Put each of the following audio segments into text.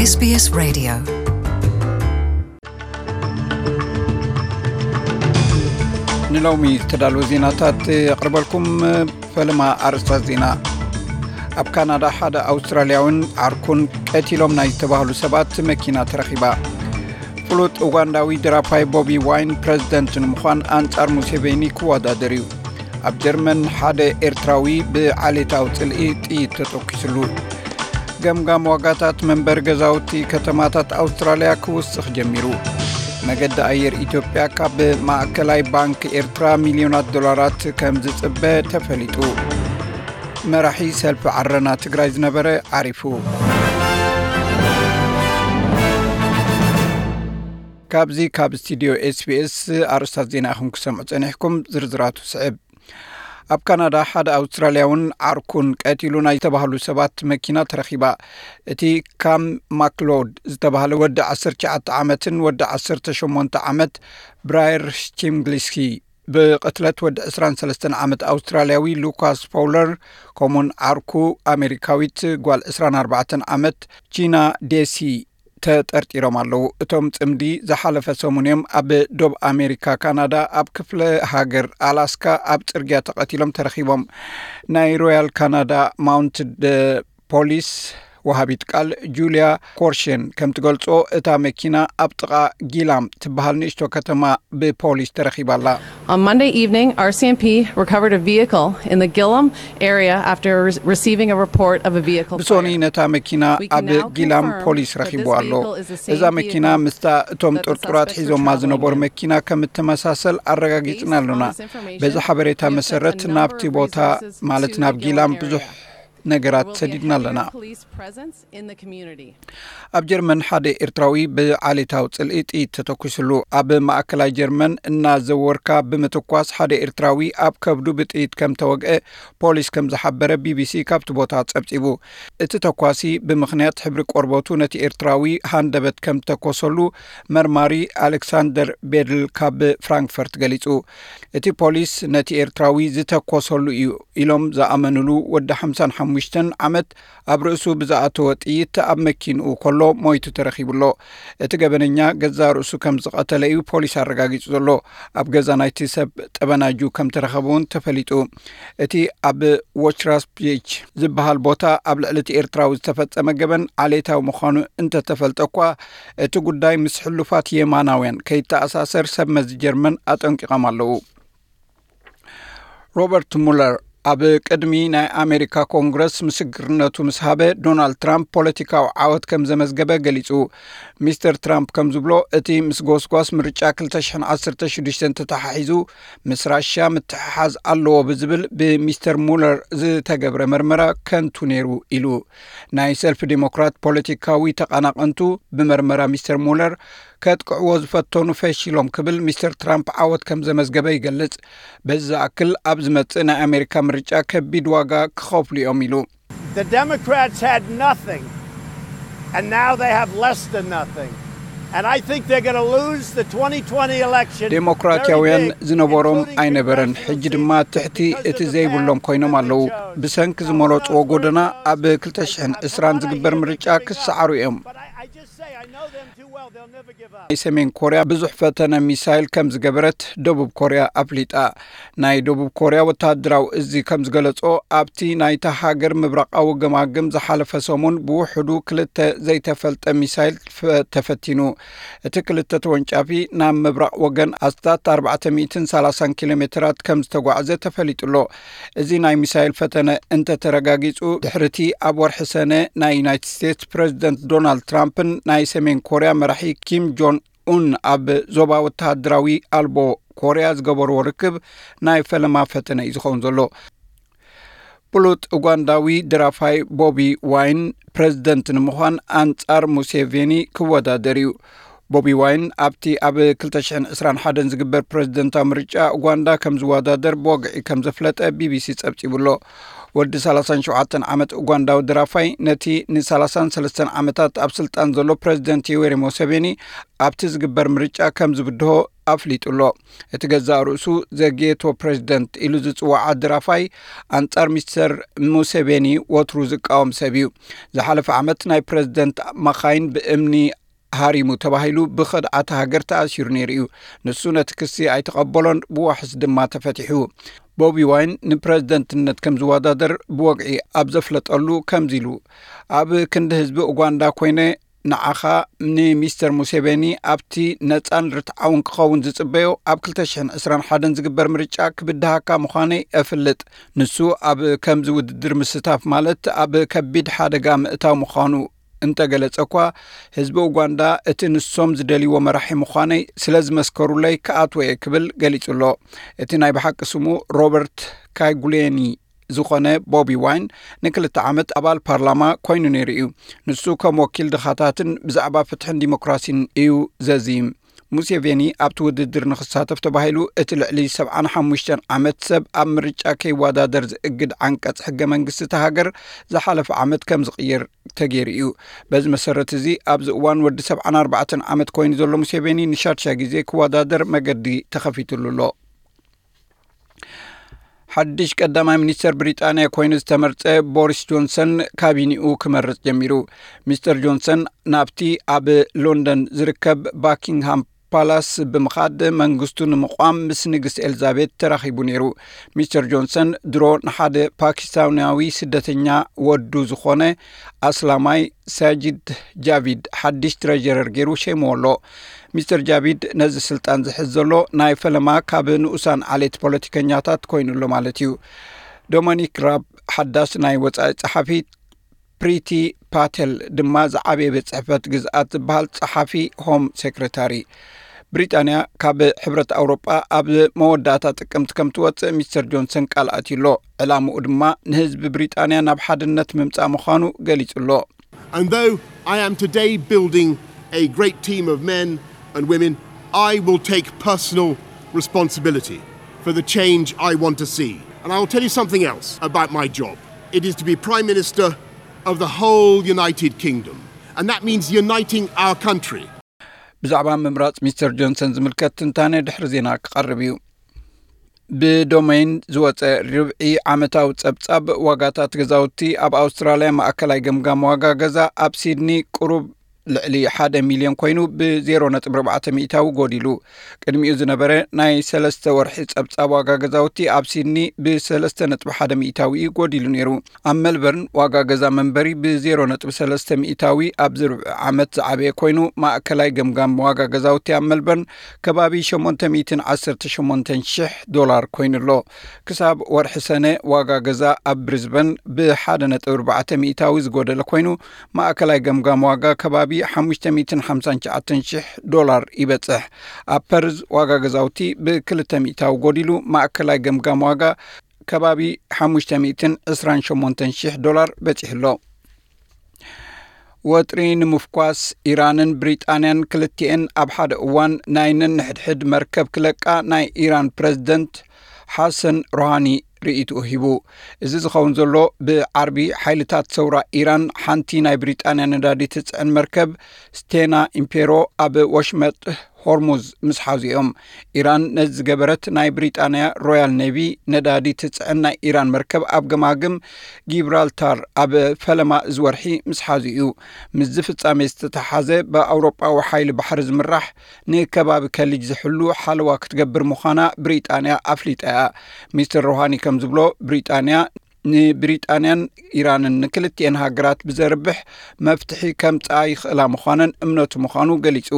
SBS Radio. ንሎሚ ዝተዳለወ ዜናታት የቕርበልኩም። ፈለማ ኣርእስታት ዜና። ኣብ ካናዳ ሓደ ኣውስትራልያውን ዓርኩን ቀቲሎም ናይ ዝተባህሉ ሰባት መኪና ተረኺባ። ፍሉጥ ኡጋንዳዊ ደራፋይ ቦቢ ዋይን ፕረዚደንት ንምዃን ኣንጻር ሙሴቬኒ ክወዳደር እዩ። ኣብ ጀርመን ሓደ ኤርትራዊ ብዓሌታዊ ጽልኢ ጥይት ተተኲስሉ። ገምጋም ዋጋታት መንበሪ ገዛውቲ ከተማታት ኣውስትራልያ ክውስኽ ጀሚሩ። መገዲ ኣየር ኢትዮጵያ ካብ ማእከላይ ባንክ ኤርትራ ሚልዮናት ዶላራት ከም ዝጽበ ተፈሊጡ። መራሒ ሰልፊ ዓረና ትግራይ ዝነበረ ዓሪፉ። ካብዚ ካብ ስቱዲዮ ኤስቢኤስ ኣርእስታት ዜና ኢኹም ክሰምዑ ጸኒሕኩም። ዝርዝራቱ ስዕብ። ኣብ ካናዳ ሓደ ኣውስትራልያውን ዓርኩን ቀቲሉ ናይ ዝተባህሉ ሰባት መኪና ተረኺባ። እቲ ካም ማክሎድ ዝተባህለ ወዲ ዓሰርተ ትሽዓተ ዓመትን ወዲ ዓሰርተ ሸሞንተ ዓመት ብራየር ሽቲምግሊስኪ ብቕትለት ወዲ ዕስራን ሰለስተን ዓመት ኣውስትራልያዊ ሉካስ ፎውለር፣ ከምኡን ዓርኩ ኣሜሪካዊት ጓል ዕስራን ኣርባዕተን ዓመት ጂና ዴሲ ተጠርጢሮም ኣለዉ። እቶም ጽምዲ ዝሓለፈ ሰሙን እዮም ኣብ ዶብ ኣሜሪካ ካናዳ ኣብ ክፍለ ሃገር ኣላስካ ኣብ ጽርግያ ተቐቲሎም ተረኺቦም። ናይ ሮያል ካናዳ ማውንትድ ፖሊስ ወሃቢት ቃል ጁልያ ኮርሽን ከም ትገልጾ፣ እታ መኪና ኣብ ጥቓ ጊላም ትበሃል ንእሽቶ ከተማ ብፖሊስ ተረኺባ ኣላ። On Monday evening, R C M P recovered a vehicle in the Gillam area after re- receiving a report of a vehicle ብሶኒ fire. ነታ መኪና We can ኣብ now ጊላም confirm ፖሊስ that ረኺቡ this ኣሎ። vehicle is the same እዛ መኪና vehicle ምስታ እቶም that the ጥርጡራት suspects were ሒዞማ traveling ዝነበሩ in. መኪና ከም እተመሳሰል ኣረጋጊጽና Based on ኣሎና። this information, በዚ ሓበሬታ we have sent መሰረት a ናብቲ number of ቦታ resources ማለት to ናብ the ጊላም Gillam ብዙሕ area. ነገራት We'll get ሰዲድና ኣለና። Heavier police presence in the community. ኣብ ጀርመን ሓደ ኤርትራዊ ብዓሌታዊ ጽልኢ ጥይት ተተኲስሉ። ኣብ ማእከላይ ጀርመን እናዘወርካ ብምትኳስ ሓደ ኤርትራዊ ኣብ ከብዱ ብጥይት ከም ተወግአ ፖሊስ ከም ዝሓበረ ቢቢሲ ካብቲ ቦታ ጸብጺቡ። እቲ ተኳሲ ብምኽንያት ሕብሪ ቆርበቱ ነቲ ኤርትራዊ ሃንደበት ከም ተኮሰሉ መርማሪ ኣሌክሳንደር ቤድል ካብ ፍራንክፈርት ገሊጹ። እቲ ፖሊስ ነቲ ኤርትራዊ ዝተኮሰሉ እዩ ኢሎም ዝኣመኑሉ ወዲ ሓምሳን ሓሙሽተን ዓመት ኣብ ርእሱ ብዝኣተወ ጥይት ኣብ መኪንኡ ከሎ ሞይቱ ተረኺቡ ኣሎ። እቲ ገበነኛ ገዛእ ርእሱ ከም ዝቐተለ እዩ ፖሊስ ኣረጋጊጹ ዘሎ። ኣብ ገዛ ናይቲ ሰብ ጠበናጁ ከም ተረኸበ እውን ተፈሊጡ። እቲ ኣብ ዎችራስፒች ዝበሃል ቦታ ኣብ ልዕሊ እቲ ኤርትራዊ ዝተፈጸመ ገበን ዓሌታዊ ምዃኑ እንተተፈልጠ እኳ፣ እቲ ጉዳይ ምስ ሕሉፋት የማናውያን ከይተኣሳሰር ሰብ መዚ ጀርመን ኣጠንቂቖም ኣለዉ። ሮበርት ሙለር ኣብ ቅድሚ ናይ ኣሜሪካ ኮንግረስ ምስክርነቱ ምስ ሃበ፣ ዶናልድ ትራምፕ ፖለቲካዊ ዓወት ከም ዘመዝገበ ገሊጹ። ሚስተር ትራምፕ ከም ዝብሎ፣ እቲ ምስ ጎስጓስ ምርጫ ክልተ ሽሕን ዓሰርተ ሽዱሽተን ተተሓሒዙ ምስ ራሽያ ምትሕሓዝ ኣለዎ ብዝብል ብሚስተር ሙለር ዝተገብረ መርመራ ከንቱ ነይሩ ኢሉ። ናይ ሰልፊ ዴሞክራት ፖለቲካዊ ተቐናቐንቱ ብመርመራ ሚስተር ሙለር ከጥቅዕዎ ዝፈተኑ ፈሺሎም ክብል ሚስተር ትራምፕ ዓወት ከም ዘመዝገበ ይገልጽ። በዚ ዝኣክል ኣብ ዝመጽእ ናይ ኣሜሪካ ምርጫ ከቢድ ዋጋ ክኸፍሉ እዮም ኢሉ። The Democrats had nothing, and now they have less than nothing. And I think they're going to lose the twenty twenty election. ዴሞክራትያውያን ዝነበሮም ኣይነበረን፣ ሕጂ ድማ ትሕቲ እቲ ዘይብሎም ኮይኖም ኣለዉ። ብሰንኪ ዝመረጽዎ ጎደና ኣብ ክልተ ሽሕን ዕስራን ዝግበር ምርጫ ክሰዓሩ እዮም። ናይ ሰሜን ኮርያ ብዙሕ ፈተነ ሚሳይል ከም ዝገበረት ደቡብ ኮርያ ኣፍሊጣ። ናይ ደቡብ ኮርያ ወተሃደራዊ እዚ ከም ዝገለጾ፣ ኣብቲ ናይታ ሃገር ምብራቓዊ ገማግም ዝሓለፈ ሰሙን ብውሕዱ ክልተ ዘይተፈልጠ ሚሳይል ፈ- ተፈቲኑ። እቲ ክልተ ተወንጫፊ ናብ ምብራቕ ወገን ኣስታት ኣርባዕተ ሚእትን ሰላሳን ኪሎ ሜትራት ከም ዝተጓዕዘ ተፈሊጡ ኣሎ። እዚ ናይ ሚሳይል ፈተነ እንተተረጋጊጹ፣ ድሕርቲ ኣብ ወርሒ ሰነ ናይ ዩናይትድ ስቴትስ ፕረዚደንት ዶናልድ ትራምፕን ናይ ሰሜን ኮርያ መራሒ ኪም ጆን ኡን ኣብ ዞባ ወተሃደራዊ ኣልቦ ኮርያ ዝገበርዎ ርክብ ናይ ፈለማ ፈተነ እዩ ዝኸውን ዘሎ። ፍሉጥ ኡጋንዳዊ ደራፋይ ቦቢ ዋይን ፕረዚደንት ንምዃን ኣንጻር ሙሴቬኒ ክወዳደር እዩ። ቦቢ ዋይን ኣብቲ ኣብ ክልተ ሽሕን ዕስራን ሓደን ዝግበር ፕረዚደንታዊ ምርጫ ኡጋንዳ ከም ዝወዳደር ብወግዒ ከም ዘፍለጠ ቢቢሲ ጸብጺቡ ኣሎ። ወዲ ሰላሳን ሸውዓተን ዓመት ኡጋንዳዊ ደራፋይ ነቲ ንሰላሳን ሰለስተን ዓመታት ኣብ ስልጣን ዘሎ ፕረዚደንት ዮዌሪ ሙሴቬኒ ኣብቲ ዝግበር ምርጫ ከም ዝብድሆ ኣፍሊጡ ኣሎ። እቲ ገዛእ ርእሱ ዘጌቶ ፕሬዚደንት ኢሉ ዝጽዋዕ ኣደራፋይ ኣንጻር ሚስተር ሙሴቬኒ ወትሩ ዝቃወም ሰብ እዩ። ዝሓለፈ ዓመት ናይ ፕሬዚደንት መኻይን ብእምኒ ሃሪሙ ተባሂሉ ብኸድዓት ሃገር ተኣሲሩ ነይሩ እዩ። ንሱ ነቲ ክሲ ኣይተቐበሎን፣ ብዋሕስ ድማ ተፈቲሑ። ቦቢ ዋይን ንፕሬዝደንትነት ከም ዝወዳደር ብወግዒ ኣብ ዘፍለጠሉ ከምዚ ኢሉ፣ ኣብ ክንዲ ህዝቢ ኡጋንዳ ኮይነ ንዓኻ፣ ንሚስተር ሙሴቬኒ ኣብቲ ነጻን ርትዓውን ክኸውን ዝጽበዮ ኣብ ክልተ ሽሕን ዕስራን ሓደን ዝግበር ምርጫ ክብድሃካ ምዃነይ እፍልጥ። ንሱ ኣብ ከምዚ ውድድር ምስታፍ ማለት ኣብ ከቢድ ሓደጋ ምእታው ምዃኑ እንተገለጸ እኳ፣ ህዝቢ ኡጋንዳ እቲ ንሶም ዝደልይዎ መራሒ ምዃነይ ስለ ዝመስከሩለይ ክኣትዎ እየ ክብል ገሊጹ ኣሎ። እቲ ናይ ብሓቂ ስሙ ሮበርት ካይጉሌኒ ዝኾነ ቦቢ ዋይን ንክልተ ዓመት ኣባል ፓርላማ ኮይኑ ነይሩ እዩ። ንሱ ከም ወኪል ድኻታትን ብዛዕባ ፍትሕን ዲሞክራሲን እዩ ዘዝይም። ሙሴቬኒ ኣብቲ ውድድር ንኽሳተፍ ተባሂሉ እቲ ልዕሊ ሰብዓን ሓሙሽተን ዓመት ሰብ ኣብ ምርጫ ከይወዳደር ዝእግድ ዓንቀጽ ሕገ መንግስቲ እታ ሃገር ዝሓለፈ ዓመት ከም ዝቕየር ተገይሩ እዩ። በዚ መሰረት እዚ ኣብዚ እዋን ወዲ ሰብዓን ኣርባዕተን ዓመት ኮይኑ ዘሎ ሙሴቬኒ ንሻድሻይ ግዜ ክወዳደር መገዲ ተኸፊትሉ ኣሎ። ሓድሽ ቀዳማይ ሚኒስተር ብሪጣንያ ኮይኑ ዝተመርጸ ቦሪስ ጆንሰን ካቢኒኡ ክመርጽ ጀሚሩ። ሚስተር ጆንሰን ናብቲ ኣብ ሎንደን ዝርከብ ባኪንግሃም ፓላስ ብምኻድ መንግስቱ ንምቋም ምስ ንግስቲ ኤልዛቤት ተራኺቡ ነይሩ። ሚስተር ጆንሰን ድሮ ንሓደ ፓኪስታናዊ ስደተኛ ወዱ ዝኾነ ኣስላማይ ሳጂድ ጃቪድ ሓድሽ ትረጀረር ገይሩ ሸይምዎ ኣሎ። ሚስተር ጃቪድ ነዚ ስልጣን ዝሕዝ ዘሎ ናይ ፈለማ ካብ ንኡሳን ዓሌት ፖለቲከኛታት ኮይኑ ኣሎ ማለት እዩ። ዶሚኒክ ራብ ሓዳስ ናይ ወጻኢ ጸሓፊ፣ ፕሪቲ ፓቴል ድማ ዝዓበየ ቤት ጽሕፈት ግዝኣት ዝበሃል ጸሓፊ ሆም ሴክሬታሪ። ብሪጣንያ ካብ ሕብረት ኣውሮጳ ኣብ መወዳእታ ጥቅምቲ ከም ትወጽእ ሚስተር ጆንሰን ቃል ኣትዩ ኣሎ። ዕላምኡ ድማ ንህዝቢ ብሪጣንያ ናብ ሓድነት ምምጻእ ምዃኑ ገሊጹ ኣሎ። And though I am today building a great team of men and women, I will take personal responsibility for the change I want to see. And I will tell you something else about my job. It is to be Prime Minister of the whole United Kingdom. And that means uniting our country. ብዛዕባ ምምራጽ ሚስተር ጆንሰን ዝምልከት ትንታነ ድሕሪ ዜና ክቐርብ እዩ። ብዶሜይን ዝወጸ ርብዒ ዓመታዊ ጸብጻብ ዋጋታት ገዛውቲ ኣብ ኣውስትራልያ፣ ማእከላይ ገምጋም ዋጋ ገዛ ኣብ ሲድኒ ቁሩብ ልዕሊ ሓደ ሚልዮን ኮይኑ ብ ዜሮ ነጥቢ ኣርባዕተ ሚእታዊ ጎዲሉ። ቅድሚኡ ዝነበረ ናይ ሰለስተ ወርሒ ጸብጻብ ዋጋ ገዛውቲ ኣብ ሲድኒ ብ ሰለስተ ነጥቢ ሓደ ሚእታዊ እዩ ጎዲሉ ነይሩ። ኣብ ሜልበርን ዋጋ ገዛ መንበሪ ብ ዜሮ ነጥቢ ሰለስተ ሚእታዊ ኣብዚ ርብዒ ዓመት ዝዓበየ ኮይኑ፣ ማእከላይ ገምጋም ዋጋ ገዛውቲ ኣብ ሜልበርን ከባቢ ሸሞንተ ሚእትን ዓሰርተ ሸሞንተን ሽሕ ዶላር ኮይኑ ኣሎ። ክሳብ ወርሒ ሰነ ዋጋ ገዛ ኣብ ብሪዝበን ብ ሓደ ነጥቢ ኣርባዕተ ሚእታዊ ዝጎደለ ኮይኑ፣ ማእከላይ ገምጋም ዋጋ ከባቢ ሓሙሽተ ሚእትን ሓምሳን ትሽዓተን ሽሕ ዶላር ይበጽሕ። ኣብ ፐርዝ ዋጋ ገዛውቲ ብ ክልተ ሚእታዊ ጎዲሉ፣ ማእከላይ ገምጋም ዋጋ ከባቢ ሓሙሽተ ሚእትን ዕስራን ሸሞንተን ሽሕ ዶላር በጺሑ ኣሎ። ወጥሪ ንምፍኳስ ኢራንን ብሪጣንያን ክልቲኤን ኣብ ሓደ እዋን ናይ ነንሕድሕድ መርከብ ክለቃ ናይ ኢራን ፕረዚደንት ሓሰን ሮሃኒ ርእይትኡ ሂቡ። እዚ ዝኸውን ዘሎ ብዓርቢ ሓይልታት ሰውራ ኢራን ሓንቲ ናይ ብሪጣንያ ነዳዲ ትጽዕን መርከብ ስቴና ኢምፔሮ ኣብ ወሽመጥ ሆርሙዝ ምስ ሓዙ እዮም። ኢራን ነዚ ዝገበረት ናይ ብሪጣንያ ሮያል ኔቪ ነዳዲ ትጽዕን ናይ ኢራን መርከብ ኣብ ገማግም ጊብራልታር ኣብ ፈለማ እዚ ወርሒ ምስ ሓዙ እዩ። ምስዚ ፍጻሜ ዝተተሓሓዘ ብኣውሮጳዊ ሓይሊ ባሕሪ ዝምራሕ ንከባቢ ከሊጅ ዝሕሉ ሓለዋ ክትገብር ምዃና ብሪጣንያ ኣፍሊጣ እያ። ሚስተር ሮሃኒ ከም ዝብሎ ብሪጣንያ ንብሪጣንያን ኢራንን ንክልቲኤን ሃገራት ብዘርብሕ መፍትሒ ከምጽኣ ይኽእላ ምዃነን እምነቱ ምዃኑ ገሊጹ።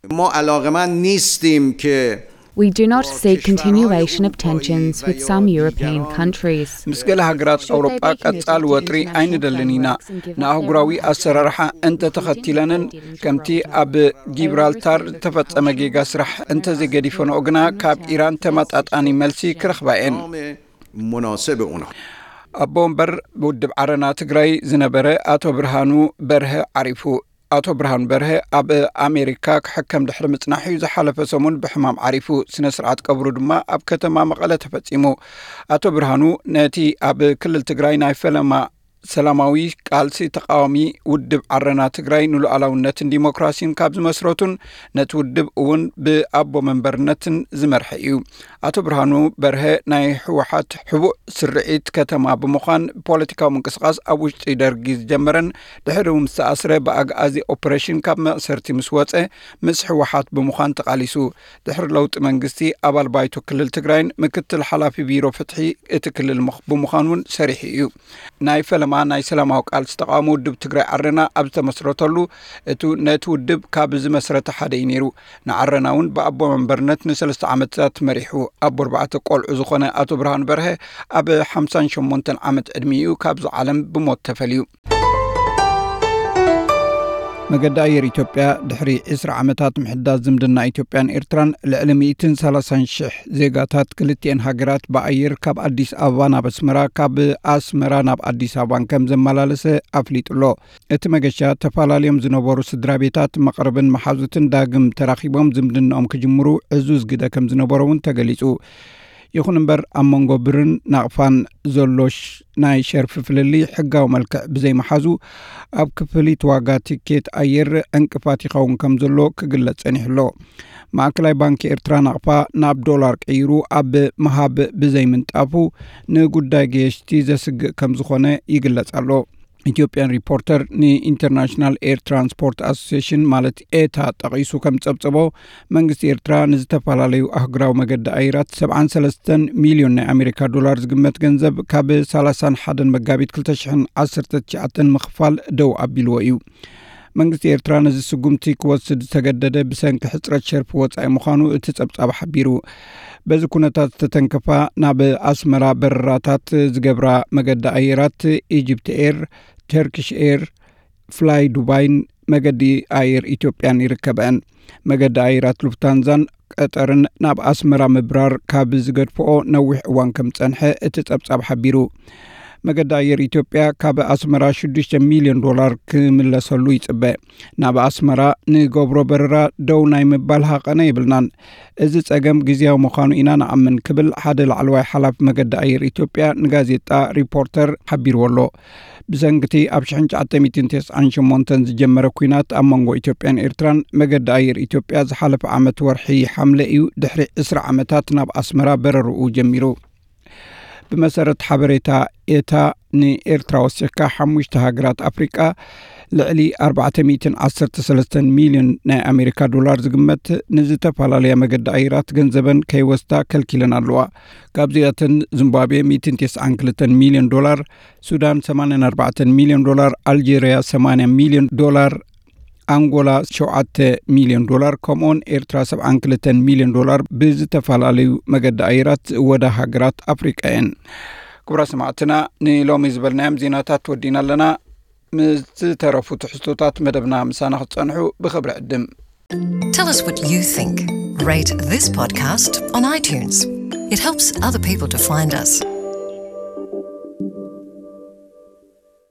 ما علاقمند نیستیم که We do not seek continuation of tensions with some European countries. ምስ ገለ ሃገራት ኣውሮጳ ቀጻሊ ወጥሪ ኣይንደልን ኢና። ንኣህጉራዊ ኣሰራርሓ እንተተኸቲለንን ከምቲ ኣብ ጊብራልታር ዝተፈጸመ ጌጋ ስራሕ እንተዘይገዲፈንኦ ግና ካብ ኢራን ተመጣጣኒ መልሲ ክረኽባ እየን። مناسب اونا ኣቦ ወንበር ውድብ ዓረና ትግራይ ዝነበረ ኣቶ ብርሃኑ በርሀ ዓሪፉ። ኣቶ ብርሃኑ በርሀ ኣብ ኣሜሪካ ክሕከም ድሕሪ ምጽናሕ እዩ ዝሓለፈ ሰሙን ብሕማም ዓሪፉ። ስነ ስርዓት ቀብሩ ድማ ኣብ ከተማ መቐለ ተፈጺሙ። ኣቶ ብርሃኑ ነቲ ኣብ ክልል ትግራይ ናይ ፈለማ ሰላማዊ ቃልሲ ተቃዋሚ ውድብ ዓረና ትግራይ ንሉዓላውነትን ዲሞክራሲን ካብ ዝመስረቱን ነቲ ውድብ እውን ብኣቦ መንበርነትን ዝመርሐ እዩ። ኣቶ ብርሃኑ በርሀ ናይ ህወሓት ሕቡእ ስርዒት ከተማ ብምዃን ፖለቲካዊ ምንቅስቃስ ኣብ ውሽጢ ደርጊ ዝጀመረን ድሕሪ እውን ዝተኣስረ ብኣግኣዚ ኦፕሬሽን ካብ መእሰርቲ ምስ ወፀ ምስ ህወሓት ብምዃን ተቃሊሱ። ድሕሪ ለውጢ መንግስቲ ኣባል ባይቶ ክልል ትግራይን ምክትል ሓላፊ ቢሮ ፍትሒ እቲ ክልል ብምዃን እውን ሰሪሑ እዩ። ናይ ፈለማ ናይ ሰላማዊ ቃልሲ ተቃውሞ ውድብ ትግራይ ዓረና ኣብ ዝተመስረተሉ እቱ ነቲ ውድብ ካብ ዝመስረተ ሓደ እዩ ነይሩ። ንዓረና እውን ብኣቦ መንበርነት ንሰለስተ ዓመታት መሪሑ። ኣቦ ኣርባዕተ ቆልዑ ዝኾነ ኣቶ ብርሃኑ በርሀ ኣብ ሓምሳን ሸሞንተን ዓመት ዕድሚኡ ካብዚ ዓለም ብሞት ተፈልዩ። መገዲ ኣየር ኢትዮጵያ ድሕሪ ዕስራ ዓመታት ምሕዳስ ዝምድና ኢትዮጵያን ኤርትራን ልዕሊ ሚእትን ሰላሳን ሽሕ ዜጋታት ክልቲኤን ሃገራት ብኣየር ካብ ኣዲስ ኣበባ ናብ ኣስመራ ካብ ኣስመራ ናብ ኣዲስ ኣበባን ከም ዘመላለሰ ኣፍሊጡ ኣሎ። እቲ መገሻ ተፈላለዮም ዝነበሩ ስድራ ቤታት መቕርብን መሓዙትን ዳግም ተራኺቦም ዝምድናኦም ክጅምሩ ዕዙዝ ግደ ከም ዝነበሮ እውን ተገሊጹ። ይኹን እምበር ኣብ መንጎ ብርን ናቕፋን ዘሎ ናይ ሸርፊ ፍልልይ ሕጋዊ መልክዕ ብዘይመሓዙ ኣብ ክፍሊት ዋጋ ቲኬት ኣየር ዕንቅፋት ይኸውን ከም ዘሎ ክግለጽ ጸኒሑ ኣሎ። ማእከላይ ባንኪ ኤርትራ ናቕፋ ናብ ዶላር ቀይሩ ኣብ ምሃብ ብዘይምንጣፉ ንጉዳይ ገየሽቲ ዘስግእ ከም ዝኾነ ይግለጽ ኣሎ። ኢትዮጵያን ሪፖርተር ንኢንተርናሽናል ኤር ትራንስፖርት ኣሶሲሽን ማለት ኤታ ጠቒሱ ከም ጸብጸቦ መንግስቲ ኤርትራ ንዝተፈላለዩ ኣህጉራዊ መገዲ ኣየራት ሰብዓን ሰለስተን ሚልዮን ናይ ኣሜሪካ ዶላር ዝግመት ገንዘብ ካብ ሰላሳን ሓደን መጋቢት ክልተ ሽሕን ዓሰርተ ትሽዓተን ምኽፋል ደው ኣቢልዎ እዩ። መንግስቲ ኤርትራ ነዚ ስጉምቲ ክወስድ ዝተገደደ ብሰንኪ ሕፅረት ሸርፊ ወፃኢ ምዃኑ እቲ ጸብጻብ ሓቢሩ። በዚ ኩነታት ዝተተንከፋ ናብ ኣስመራ በረራታት ዝገብራ መገዲ ኣየራት ኢጅፕት ኤር፣ ተርኪሽ ኤር፣ ፍላይ ዱባይን መገዲ ኣየር ኢትዮጵያን ይርከበን። መገዲ ኣየራት ሉፍታንዛን ቀጠርን ናብ ኣስመራ ምብራር ካብ ዝገድፍኦ ነዊሕ እዋን ከም ጸንሐ እቲ ጸብጻብ ሓቢሩ። መገዲ ኣየር ኢትዮጵያ ካብ ኣስመራ ሽዱሽተ ሚልዮን ዶላር ክምለሰሉ ይጽበ። ናብ ኣስመራ ንገብሮ በረራ ደው ናይ ምባል ሃቐነ የብልናን። እዚ ጸገም ግዝያዊ ምዃኑ ኢና ንኣምን ክብል ሓደ ላዕለዋይ ሓላፊ መገዲ ኣየር ኢትዮጵያ ንጋዜጣ ሪፖርተር ሓቢርዎ ኣሎ። ብሰንኪቲ ኣብ ሽሕን ትሽዓተ ሚእትን ተስዓን ሸሞንተን ዝጀመረ ኲናት ኣብ መንጎ ኢትዮጵያን ኤርትራን መገዲ ኣየር ኢትዮጵያ ዝሓለፈ ዓመት ወርሒ ሓምለ እዩ ድሕሪ ዕስራ ዓመታት ናብ ኣስመራ በረርኡ ጀሚሩ። ብመሰረት ሓበሬታ ኤታ ንኤርትራ ወሲኽካ ሓሙሽተ ሃገራት ኣፍሪቃ ልዕሊ ኣርባዕተ ሚእትን ዓሰርተ ሰለስተን ሚልዮን ናይ ኣሜሪካ ዶላር ዝግመት ንዝተፈላለያ መገዲ ኣየራት ገንዘበን ከይወስዳ ከልኪለን ኣለዋ። ካብዚኣተን ዚምባብዌ ሚእትን ተስዓን ክልተን ሚልዮን ዶላር፣ ሱዳን ሰማንያን ኣርባዕተን ሚልዮን ዶላር፣ ኣልጀርያ ሰማንያ ሚልዮን ዶላር፣ ኣንጎላ ሸውዓተ ሚልዮን ዶላር ከምኡውን ኤርትራ ሰብዓን ክልተን ሚልዮን ዶላር ብዝተፈላለዩ መገዲ ኣየራት ዝእወዳ ሃገራት ኣፍሪቃ እየን። ክቡራት ሰማዕትና ንሎሚ ዝበልናዮም ዜናታት ወዲና ኣለና። ምስ ዝተረፉ ትሕዝቶታት መደብና ምሳና ክትጸንሑ ብኽብሪ ዕድም። Tell us what you think. Rate this podcast on iTunes. It helps other people to find us.